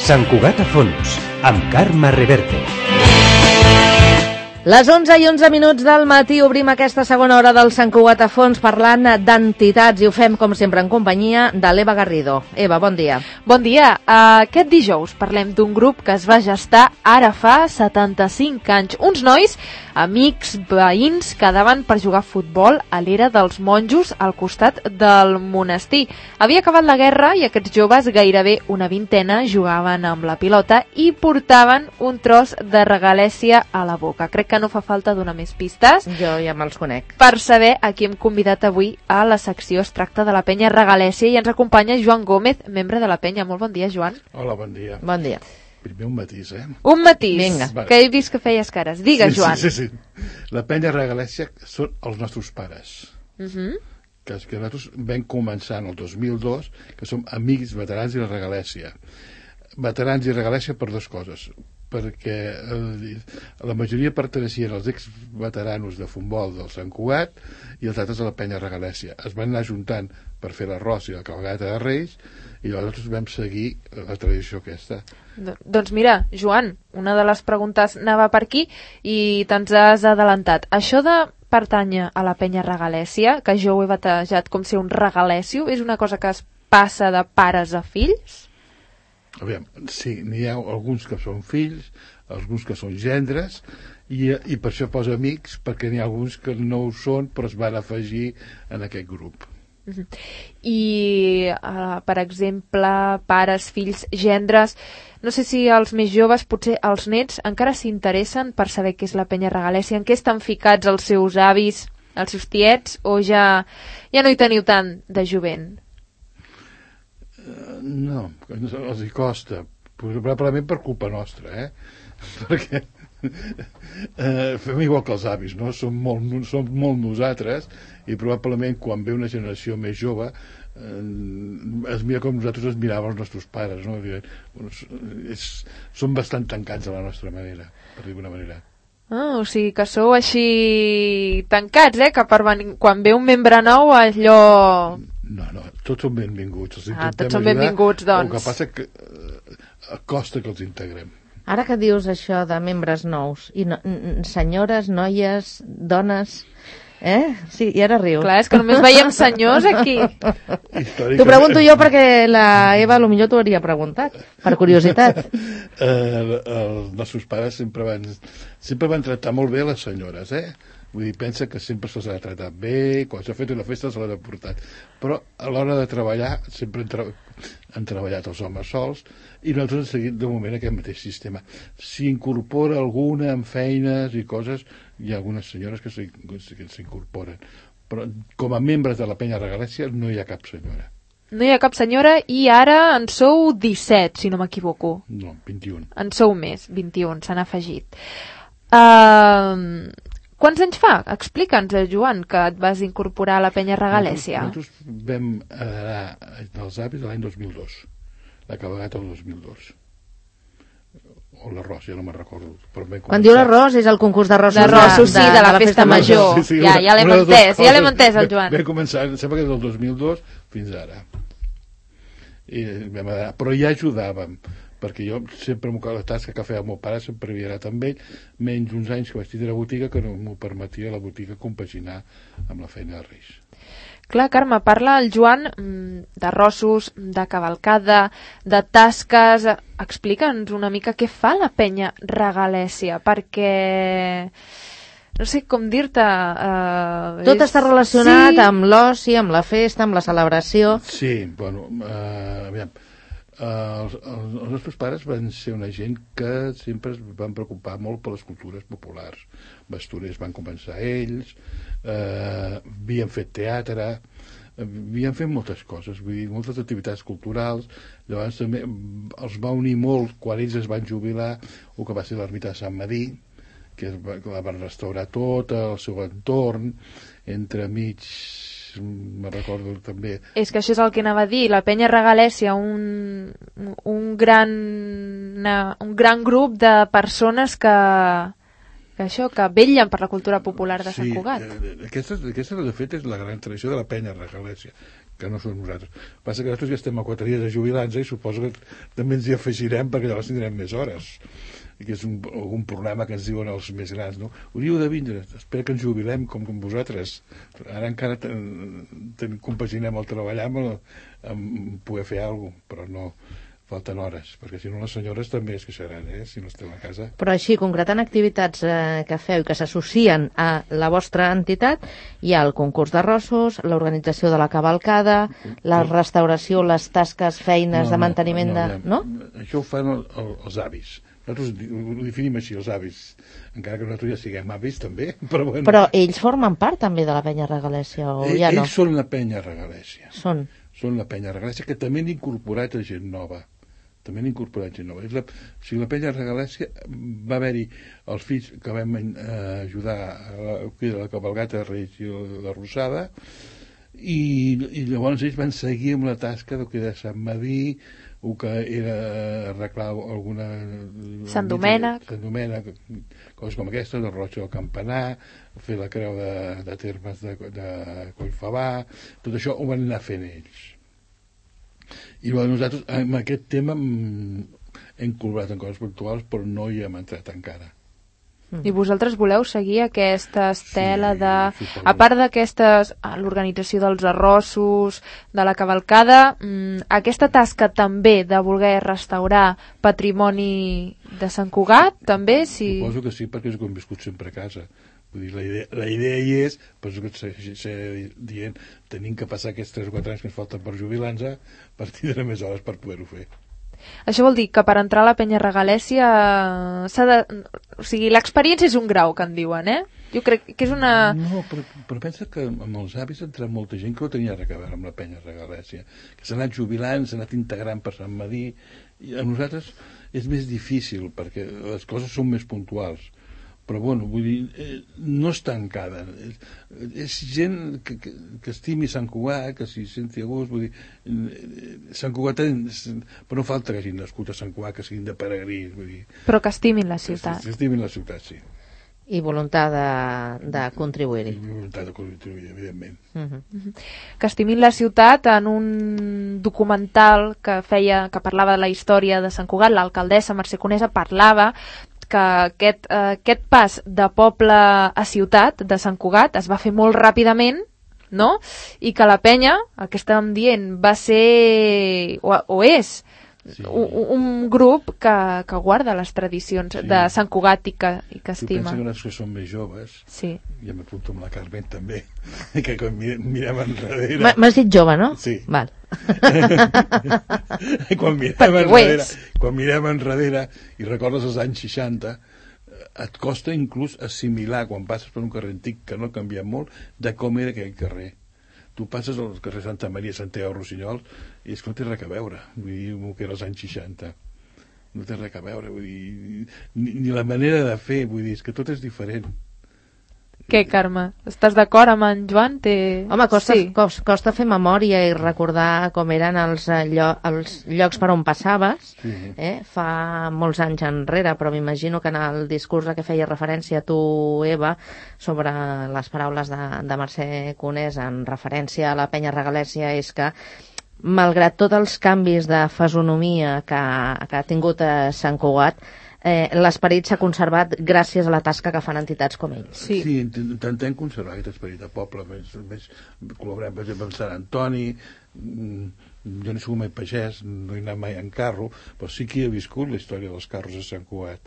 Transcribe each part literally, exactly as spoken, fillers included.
Sant Cugat a fons, amb Carme Reverte. Les onze i onze minuts del matí obrim aquesta segona hora del Sant Cugat a fons parlant d'entitats i ho fem com sempre en companyia de l'Eva Garrido. Eva, bon dia. Bon dia. Aquest dijous parlem d'un grup que es va gestar ara fa setanta-cinc anys. Uns nois, amics, veïns, quedaven per jugar a futbol a l'era dels monjos al costat del monestir. Havia acabat la guerra i aquests joves, gairebé una vintena, jugaven amb la pilota i portaven un tros de regalèssia a la boca. Crec que no fa falta donar més pistes. Jo ja me'ls conec. Per saber a qui hem convidat avui a la secció. Es tracta de la penya Regalèssia i ens acompanya Joan Gómez, membre de la penya. Molt bon dia, Joan. Hola, bon dia. Bon dia. Primer un matís, eh? Un matís, Vinga. que he vist que feies cares. Digues, sí, Joan. Sí, sí, sí. La penya Regalèssia són els nostres pares. Uh -huh. que, que nosaltres vam començar en el dos mil dos, que som amics, veterans i la Regalèssia. Veterans i Regalèssia per dues coses. Perquè eh, la majoria perteneixien als ex-veteranos de futbol del Sant Cugat i els altres a la penya Regalèssia. Es van anar juntant per fer l'arròs i la cabalgata de Reis i nosaltres vam seguir la tradició aquesta. Doncs mira, Joan, una de les preguntes anava per aquí i te'ns has adelantat. Això de pertànyer a la penya Regalèssia, que jo ho he batejat com ser un regalèssio, és una cosa que es passa de pares a fills? Aviam, sí, n'hi ha alguns que són fills, alguns que són gendres, i, i per això posa amics, perquè n'hi ha alguns que no ho són, però es van afegir en aquest grup. Uh-huh. I, uh, per exemple, pares, fills, gendres, no sé si els més joves, potser els nets, encara s'interessen per saber què és la penya Regalèssia, en què estan ficats els seus avis, els seus tiets, o ja, ja no hi teniu tant de jovent? Uh, no, els hi costa, probablement per culpa nostra, eh? Perquè uh, fem igual que els avis, no? Som molt, som molt nosaltres i probablement quan ve una generació més jove uh, es mira com nosaltres es miràvem els nostres pares, no? Bueno, és, som bastant tancats a la nostra manera, per dir d'alguna manera. Ah, o sigui que sou així tancats, eh? Que per venir, quan ve un membre nou allò... No, no, tots són benvinguts. Els ah, tots són benvinguts, doncs. El que passa que eh, costa que els integrem. Ara que dius això de membres nous, i no, senyores, noies, dones... Eh? Sí, i ara riu. Clar, és que només veiem senyors aquí. T'ho pregunto jo perquè la Eva potser t'ho hauria preguntat, per curiositat. eh, els nostres pares sempre van, sempre van tractar molt bé les senyores, eh? Vull dir, pensa que sempre se'ls ha tratat bé, quan s'ha fet una festa se l'ha portat. Però a l'hora de treballar sempre han, tra han treballat els homes sols i nosaltres hem seguit de moment aquest mateix sistema. Si incorpora alguna en feines i coses, hi ha algunes senyores que s'incorporen. Però com a membres de la penya Regalèssia no hi ha cap senyora. No hi ha cap senyora i ara en sou disset, si no m'equivoco. No, vint-i-un. En sou més, vint-i-un, s'han afegit. Uh, quants anys fa? Explica'ns, Joan, que et vas incorporar a la penya Regalèssia. Nosaltres, nosaltres vam heredar dels avis l'any dos mil dos. La cabalgata del dos mil dos. O l'arròs, ja no me'n recordo. Quan diu l'arròs és el concurs d'arrossos d'arrossos, sí, de, de la, la festa, festa major. Sí, sí, ja, ja l'hem entès, ja l'hem entès el Joan. Vam començar, sembla que és del dos mil dos fins ara. I vam anar, però ja ajudàvem, perquè jo sempre la tasca que feia el meu pare sempre havia anat amb ell, menys uns anys que vaig tindre botiga que no m'ho permetia la botiga compaginar amb la feina de Reis. Clar, Carme, parla el Joan d'arrossos, de cavalcada, de tasques. Explica'ns una mica què fa la penya Regalèssia, perquè no sé com dir-te... Uh, Tot és... està relacionat sí. amb l'oci, amb la festa, amb la celebració. Sí, bueno, uh, aviam, uh, els, els nostres pares van ser una gent que sempre es van preocupar molt per les cultures populars. Bastoners van començar ells, uh, havien fet teatre, havien fet moltes coses, vull dir, moltes activitats culturals. Llavors també els va unir molt quan ells es van jubilar el que va ser l'ermita de Sant Madí, que la van restaurar tot, el seu entorn, entremig, me recordo també... És que això és el que anava a dir, la penya Regalèssia, un, un, gran, una, un gran grup de persones que, Que això, que vetllen per la cultura popular de Sant Sí, Cugat. eh, aquesta, aquesta, de fet, és la gran tradició de la penya regalèsia, que no som nosaltres. Passa que nosaltres ja estem a quatre dies de jubilar-nos i suposo que també ens hi afegirem perquè llavors tindrem més hores. I que és un, algun problema que ens diuen els més grans, no? Hauríeu de vindre, espero que ens jubilem com, com vosaltres. Ara encara ten, ten, compaginem el treballar amb, el, amb poder fer alguna cosa, però no, falten hores, perquè si no les senyores també es queixaran, eh, si no estem a casa. Però així, concretant activitats eh, que feu i que s'associen a la vostra entitat, hi ha el concurs d'arrossos, l'organització de la cavalcada, la restauració, les tasques, feines de manteniment de... No? Això ho fan el, el, els avis. Nosaltres ho definim així, els avis, encara que nosaltres ja siguem avis també, però bueno. Però ells formen part també de la penya regalèsia, o Ell, ja no? Ells són la penya regalèsia. Són. Són la penya regalèsia, que també han incorporat a gent nova. També han incorporat gent nova. És la, o sigui, la penya regalèsia va haver-hi els fills que vam eh, ajudar a la, a la cabalgata de Reis i la Rosada, i, i llavors ells van seguir amb la tasca del que de Sant Madí, o que era arreglar alguna... Sant Domènec. Sant Domènec, coses com aquestes, el roig del campanar, fer la creu de, de termes de, de Collfabà, tot això ho van anar fent ells. I bueno, nosaltres amb aquest tema hem col·laborat en coses puntuals, però no hi hem entrat encara. I vosaltres voleu seguir aquesta estela Sí, de... suposo. A part d'aquestes, l'organització dels arrossos, de la cavalcada, mmm, aquesta tasca també de voler restaurar patrimoni de Sant Cugat, també, si... Suposo que sí, perquè és que hem viscut sempre a casa. Vull dir, la idea, la idea hi és, però és que seguiré dient, tenim que passar aquests tres o quatre anys que ens falten per jubilar-nos per tindre més hores per poder-ho fer. Això vol dir que per entrar a la penya regalèsia s'ha de... O sigui, l'experiència és un grau, que en diuen, eh? Jo crec que és una... No, però, però pensa que amb els avis ha entrat molta gent que no tenia res a veure amb la penya regalèsia, que s'ha anat jubilant, s'ha anat integrant per Sant Madí, i a nosaltres és més difícil, perquè les coses són més puntuals. Però, bueno, vull dir, eh, no és tancada. És, és gent que, que, que estimi Sant Cugat, que s'hi senti a gust, vull dir, eh, Sant Cugat, però no falta que hagin nascut a Sant Cugat, que siguin de peregrins, vull dir. Però que estimin la ciutat. Que estimin la ciutat, sí. I voluntat de, de contribuir-hi. I voluntat de contribuir, evidentment. Uh -huh. Que estimin la ciutat en un documental que feia, que parlava de la història de Sant Cugat, l'alcaldessa Mercè Conesa parlava que aquest, eh, aquest pas de poble a ciutat de Sant Cugat es va fer molt ràpidament, no? I que la penya, el que estàvem dient, va ser, o, o és, sí. un, un grup que, que guarda les tradicions sí. de Sant Cugat i que, i que estima. Tu pensa que nosaltres que som més joves, sí. ja m'apunto amb la Carmen també, que quan mirem enrere... M'has dit jove, no? Sí. Val. quan mirem enrere, quan mirem enrere i recordes els anys seixanta, et costa inclús assimilar, quan passes per un carrer antic que no ha canviat molt, de com era aquell carrer. Tu passes al carrer Santa Maria, Santiago, Rossinyol, i és que no té res a veure, vull dir, el que era els anys seixanta. No té res a veure, vull dir, ni, ni la manera de fer, vull dir, és que tot és diferent. Què, Carme? Estàs d'acord amb en Joan? Té... Home, costa, sí. costa, costa fer memòria i recordar com eren els, llo els llocs per on passaves Sí. eh? fa molts anys enrere, però m'imagino que en el discurs a què feia referència tu, Eva, sobre les paraules de, de Mercè Conesa en referència a la penya regalèsia, és que malgrat tots els canvis de fesonomia que, que ha tingut a Sant Cugat, Eh, l'esperit s'ha conservat gràcies a la tasca que fan entitats com ells. Sí, sí intentem conservar aquest esperit de poble, més, més col·laborem, per exemple, amb Sant Antoni, jo no he sigut mai pagès, no he anat mai en carro, però sí que he viscut la història dels carros a Sant Cugat.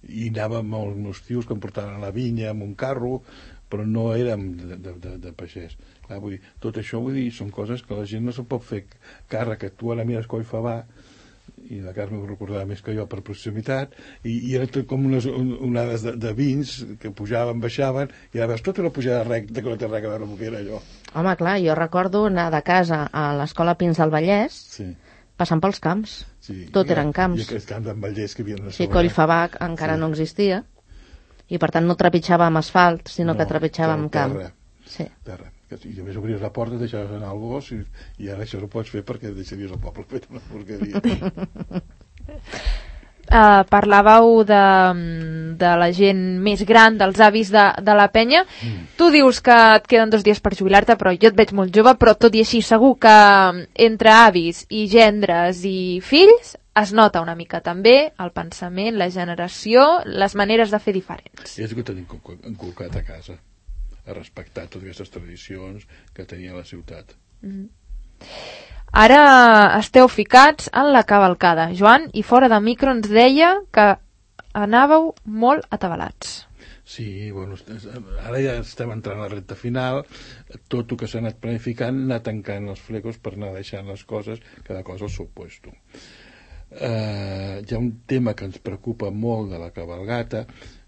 I anàvem amb els meus tios que em portaven a la vinya amb un carro, però no érem de, de, de, de pagès. Clar, vull dir, tot això vull dir, són coses que la gent no se'n pot fer càrrec, que tu ara mires Collfabà, i la Carme ho recordava més que jo per proximitat, i, i era tot com unes onades de, de vins que pujaven, baixaven, i ara veus tota una pujada recta que no té res a veure amb el que era allò. Home, clar, jo recordo anar de casa a l'escola Pins del Vallès, sí. passant pels camps. Sí. Tot I, eren camps. I aquests camps d'en Vallès que havien de Sí, Collfabà encara sí. no existia, i per tant no trepitjàvem asfalt, sinó no, que trepitjàvem camp. Terra. Sí. Terra. I a més obries la porta, deixaves anar el gos, i, i ara això no pots fer perquè deixaries el poble fet una porqueria. eh, parlàveu de, de la gent més gran, dels avis de, de la penya. Mm. Tu dius que et queden dos dies per jubilar-te, però jo et veig molt jove, però tot i així segur que entre avis i gendres i fills es nota una mica també el pensament, la generació, les maneres de fer diferents. És el que tenim inculcat a casa, a respectar totes aquestes tradicions que tenia la ciutat. Mm-hmm. Ara esteu ficats en la cavalcada, Joan, i fora de micro ens deia que anàveu molt atabalats. Sí, bueno, ara ja estem entrant a la recta final, tot el que s'ha anat planificant, anar tancant els flecos per anar deixant les coses, cada cosa al seu puesto. Uh, hi ha un tema que ens preocupa molt de la cabalgata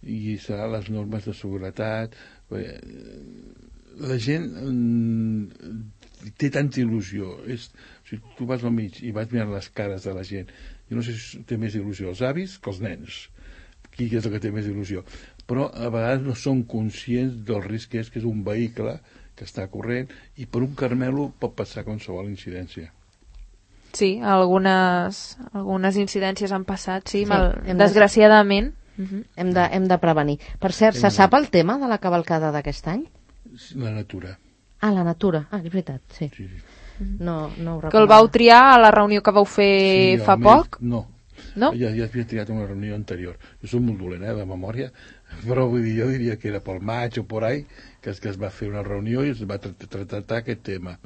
i serà les normes de seguretat. La gent mm, té tanta il·lusió. És, si tu vas al mig i vas mirant les cares de la gent, jo no sé si té més il·lusió els avis que els nens. Qui és el que té més il·lusió? Però a vegades no són conscients del risc que és, que és un vehicle que està corrent i per un carmelo pot passar qualsevol incidència. Sí, algunes, algunes incidències han passat, sí, sí mal, hem desgraciadament. De... Uh-huh. Hem, de, hem de prevenir. Per cert, hem se sap el tema de la cavalcada d'aquest any? La natura. Ah, la natura. Ah, és veritat, sí. sí, sí. No, no ho que el vau triar a la reunió que vau fer sí, fa poc? No. No? Ja, ja havia triat una reunió anterior. Jo soc molt dolent, eh, de memòria, però vull dir, jo diria que era pel maig o por ahí, que es, que es va fer una reunió i es va tractar aquest tema.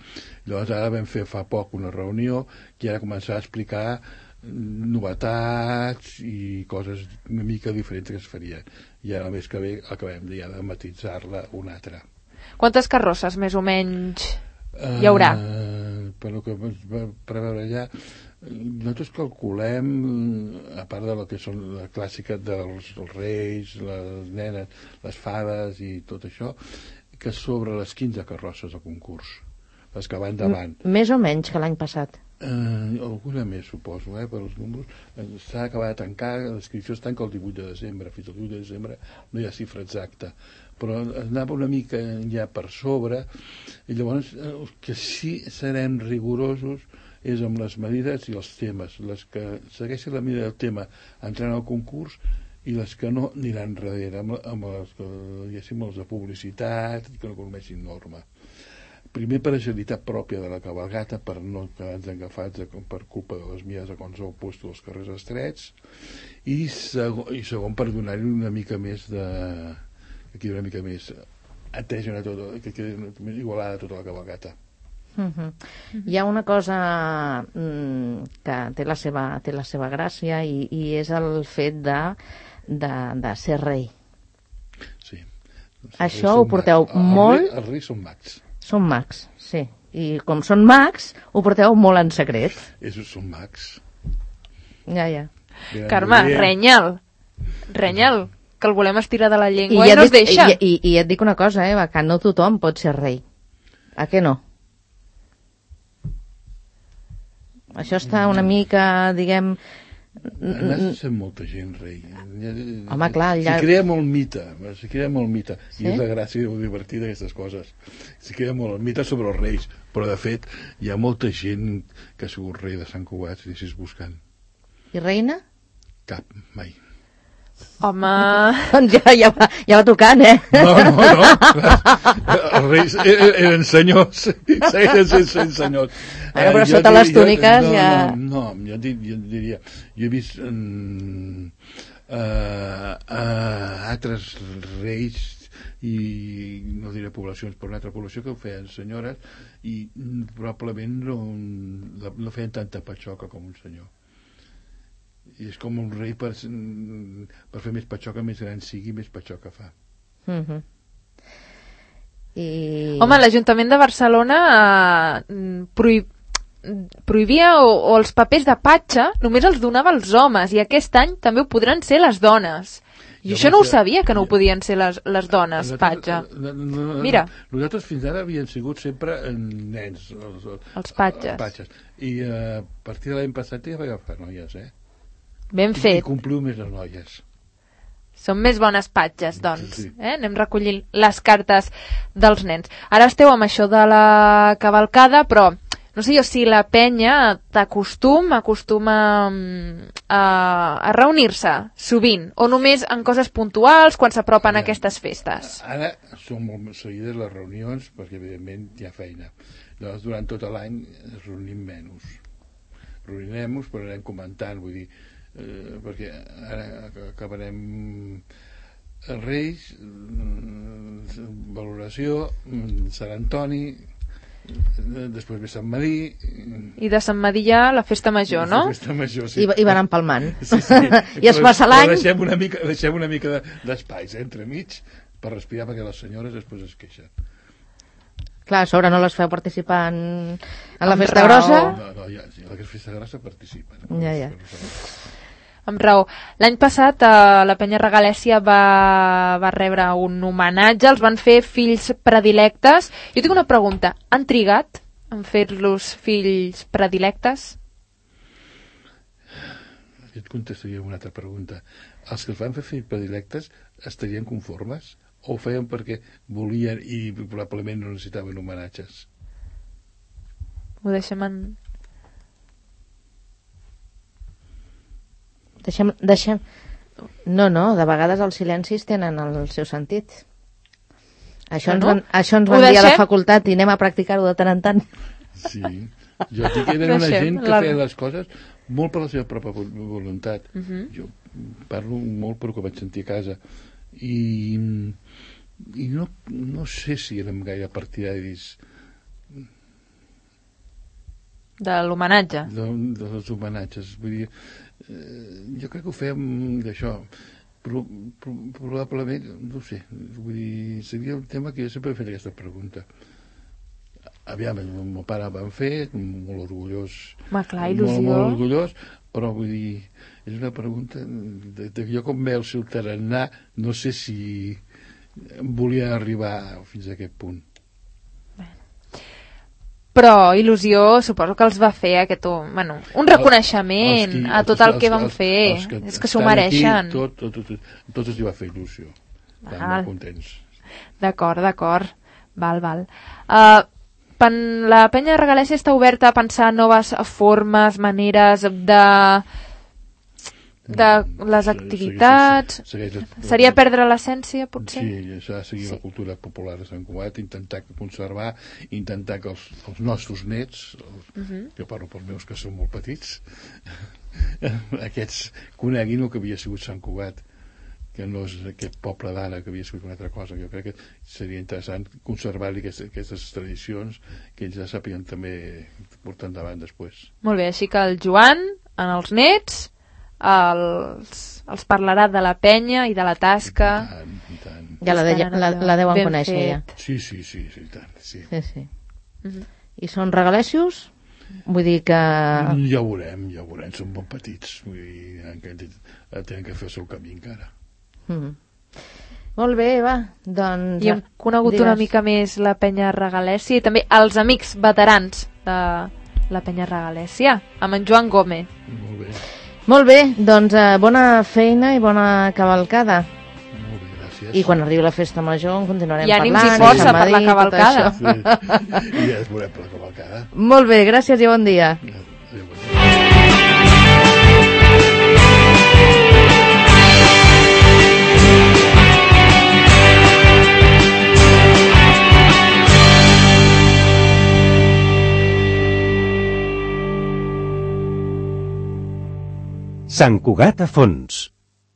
Llavors ara vam fer fa poc una reunió que ara començar a explicar novetats i coses una mica diferents que es farien. I ara el mes que ve acabem ja de matitzar-la una altra. Quantes carrosses més o menys hi haurà? Uh, per el que es va preveure allà, nosaltres calculem, a part de la que són la clàssica dels, dels reis, les nenes, les fades i tot això, que sobre les quinze carrosses al concurs, les que van davant. M més o menys que l'any passat? Uh, alguna més, suposo, eh, per als números. S'ha acabat de tancar, l'inscripció es tanca el divuit de desembre, fins al divuit de desembre no hi ha xifra exacta, però anava una mica ja per sobre, i llavors el que sí serem rigorosos és amb les medides i els temes. Les que segueixen la medida del tema entraran al concurs i les que no aniran darrere, amb, amb els, que, diguéssim, els de publicitat, que no coneixin norma. Primer per agilitat pròpia de la cabalgata, per no quedar-nos agafats per culpa de les mies a qualsevol puesto dels carrers estrets, i segon, i segon per donar-hi una mica més de... que quedi una mica més atesa a tot, que quedi més igualada a tota la cabalgata. Uh-huh. Hi ha una cosa mm, que té la seva, té la seva gràcia i, i és el fet de, de, de ser rei. Sí. Això ho porteu mags. molt... Els reis són mags. Són mags, sí. I com són mags, ho porteu molt en secret. Ells són mags. Ja, ja. Venen Carme, renya'l. Renya'l, que el volem estirar de la llengua i, i no es deixa. I, i, I et dic una cosa, eh, que no tothom pot ser rei. A què no? Això està una mica, diguem... N'has sent molta gent rei. Home, clar, ja... S'hi crea molt mite, s'hi crea molt mite. Sí? I és la gràcia i divertir d'aquestes coses. S'hi crea molt mite sobre els reis, però de fet hi ha molta gent que ha sigut rei de Sant Cugat, si deixis buscant. I reina? Cap, mai. Home... Doncs ja, ja, va, ja va tocant, eh? No, no, no. Els reis eren senyors, segueixen sent senyors. Bueno, però eh, sota dir, les túniques jo, no, ja... No, no, jo, dir, jo diria... Jo he vist um, uh, uh, altres reis i no diré poblacions, però una altra població que ho feien senyores i probablement no, no feien tanta patxoca com un senyor. I és com un rei per, per fer més patxoca, més gran sigui, més patxoca fa. Uh-huh. I... Home, l'Ajuntament de Barcelona eh, prohib... prohibia o, o els papers de patxa només els donava als homes i aquest any també ho podran ser les dones. I jo això no ho sabia, que no ho podien ser les, les dones, patxa. No, no, no, Mira. Nosaltres fins ara havien sigut sempre nens. Els, els patxes. Els patxes. I uh, a partir de l'any passat ja va agafar noies, eh? Ben I, fet. I compliu més les noies. Són més bones patxes, doncs. Sí, sí. Eh? Anem recollint les cartes dels nens. Ara esteu amb això de la cavalcada, però no sé jo si la penya t'acostuma, acostuma a, a reunir-se sovint, o només en coses puntuals quan s'apropen Ara, aquestes festes. Ara són molt seguides les reunions perquè evidentment hi ha feina. Llavors durant tot l'any es reunim menys. Reunirem-nos però anem comentant, vull dir, eh, perquè ara acabarem Reis, valoració, Sant Antoni, després ve Sant Madí, i de Sant Madí ja la festa major, no? La festa major, sí. I, i van empalmant. Sí, sí. I es passa l'any. Deixem una mica, deixem una mica d'espais eh, entre mig per respirar, perquè les senyores després es queixen. Clar, a sobre no les feu participar en, en la Amb festa raó. grossa. No, no, ja, sí, la festa grossa participa. No? Ja, ja. Amb raó. L'any passat eh, la Penya Regalèssia va, va rebre un homenatge, els van fer fills predilectes. Jo tinc una pregunta, han trigat en fer-los fills predilectes? Jo et contestaria una altra pregunta. Els que els van fer fills predilectes estarien conformes? O ho feien perquè volien i probablement no necessitaven homenatges? Ho deixem en... Deixem, deixem... No, no, de vegades els silencis tenen el seu sentit. Això ens van, això ens van dir a la facultat i anem a practicar-ho de tant en tant. Sí. Jo dic que eren una gent que feia les coses molt per la seva pròpia voluntat. Uh-huh. Jo parlo molt per el que vaig sentir a casa. I, i no, no sé si érem gaire partidaris de l'homenatge. De, de els homenatges. Vull dir, eh, jo crec que ho fèiem d'això. Pro, pro, probablement, no ho sé, vull dir, seria un tema que jo sempre he fet aquesta pregunta. Aviam, el meu pare el van fer, molt orgullós. Ma, clar, il·lusió. Molt, molt orgullós, però vull dir, és una pregunta de, de jo com veu el tarannà, no sé si volia arribar fins a aquest punt. Però il·lusió suposo que els va fer aquest, bueno, un reconeixement el, qui, a tot el, el que van els, fer els que és que s'ho mereixen aquí, tot, tot, tot, tot els hi va fer il·lusió, estan molt contents. D'acord, d'acord, val, val. uh, pen, la Penya Regalèssia està oberta a pensar noves formes, maneres de de les activitats. Segueix, segueix, seria perdre l'essència, potser? Sí, s'ha de seguir sí. La cultura popular de Sant Cugat, intentar conservar, intentar que els, els nostres nets, els, uh -huh. jo parlo pels meus que són molt petits, aquests coneguin el que havia sigut Sant Cugat, que no és aquest poble d'ara que havia sigut una altra cosa. Jo crec que seria interessant conservar-li aquestes, aquestes tradicions que ells ja sàpiguen també portar endavant després. Molt bé, així que el Joan, en els nets, els, els parlarà de la penya i de la tasca. I tant, i tant. Ja la, de, la, la deuen ben conèixer fet. Ja. Sí, sí, sí, sí, tant, sí. Sí, sí. Uh-huh. I són regalèssios? Vull dir que... Ja ho veurem, ja ho veurem, són molt petits, vull dir, tenen que fer el seu camí encara. Uh-huh. Molt bé, va, doncs... I hem conegut digues. Una mica més la Penya Regalèssia i també els amics veterans de la Penya Regalèssia, amb en Joan Gómez. Molt bé. Molt bé, doncs eh, bona feina i bona cavalcada. Molt bé, gràcies. I quan arribi la festa major en continuarem I parlant. I ànims i força per la cavalcada. Sí. I ja es veurem per la cavalcada. Molt bé, gràcies i bon dia. Adéu, bon dia. Sant Cugat a fons.